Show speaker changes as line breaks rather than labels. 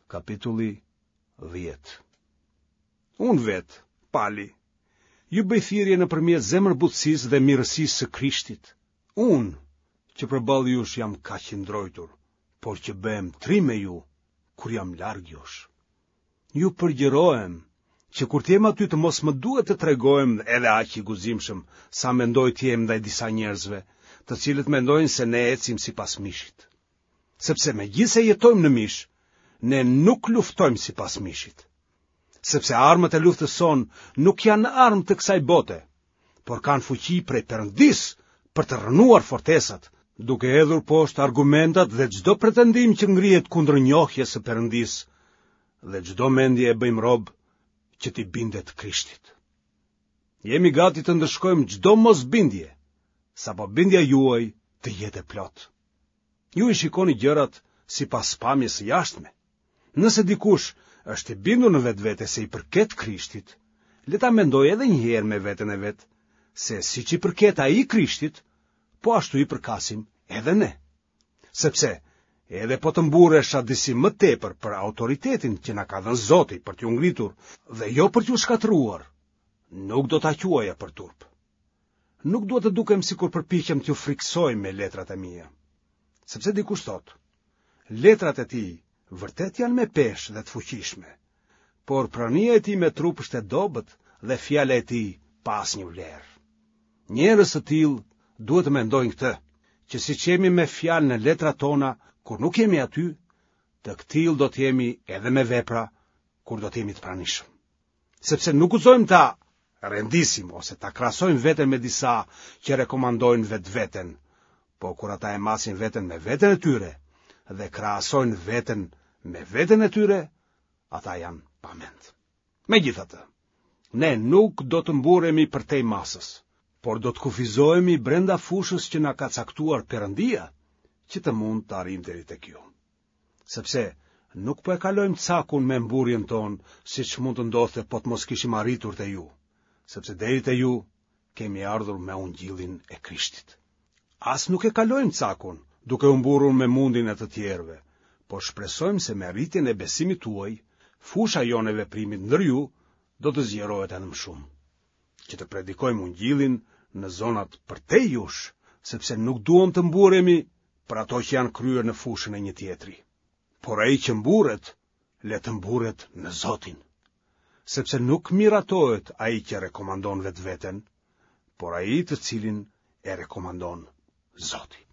Kapitulli 10. Unë vetë, Pali, ju bëj thirrje nëpërmjet zemërbutësisë dhe mirësisë së Krishtit. Unë, që përballë jush jam kaq i ndrojtur, por që bëhem trim me ju, kur jam larg jush. Ju përgjërohem, që kur të jem aty të mos më duhet të tregohem edhe aq i guximshëm sa mendoj të jem ndaj disa njerëzve, të cilët mendojnë se ne ecim sipas mishit. Sepse megjithëse jetojmë në mish, ne nuk luftojmë sipas mishit. Sepse armët e luftës sonë nuk janë armë të kësaj bote, por kanë fuqi prej Perëndisë për të rrënuar fortesat, duke hedhur poshtë argumentat dhe çdo pretendim që ngrihet kundër njohjes së Perëndisë dhe çdo mendje e bëjmë rob që t'i bindet Krishtit. Jemi gati të ndëshkojmë çdo mosbindje, sapo bindja juaj të jetë e plotë. Ju i shikoni gjërat sipas pamjes së jashtme. Nëse dikush është i bindur në vetvete se i përket Krishtit, le ta mendojë edhe një herë me veten e vet, se siç i përket ai Krishtit, po ashtu i përkasim edhe ne. Sepse, edhe po të mburresha disi më tepër për autoritetin që na ka dhënë Zoti për t'ju ngritur dhe jo për t'ju shkatërruar, nuk do ta quaja për turp. Nuk dua të dukem sikur përpiqem t'ju frikësoj me letrat e mia. Sepse dikush thotë, letrat e tij vërtet janë me peshë dhe të fuqishme, por prania e tij me trup është e dobët dhe fjala e tij pa asnjë vlerë. Njerëz të tillë duhet të mendojnë këtë, që siç jemi me fjalë në letrat tona kur nuk jemi aty, të këtillë do të jemi edhe me vepra kur do të jemi të pranishëm. Sepse nuk guxojmë ta rendisim ose ta krahasojmë veten me disa që rekomandojnë vetveten, po kur ata e masin veten me veten e tyre dhe krahasojnë veten me veten e tyre, ata janë pa mend. Megjithatë, ne nuk do të mburremi përtej masës, por do të kufizohemi brenda fushës që na ka caktuar Perëndia, që të mund të arrijmë deri tek ju. Sepse nuk po e kalojmë cakun me mburrjen tonë, siç mund të ndodhte po të mos kishim arritur te ju, sepse deri te ju kemi ardhur me ungjillin e Krishtit. As nuk e kalojmë cakun, duke u mburrur me mundin e të tjerëve, por shpresojmë se me rritjen e besimit tuaj, fusha jonë e veprimit ndër ju do të zgjerohet edhe më shumë, që të predikojmë ungjillin në zonat përtej jush, sepse nuk duam të mburremi për ato që janë kryer në fushën e një tjetri. Por ai që mburret, le të mburret në Zotin. Sepse nuk miratohet ai që rekomandon vetveten, por ai të cilin e rekomandon Zoti.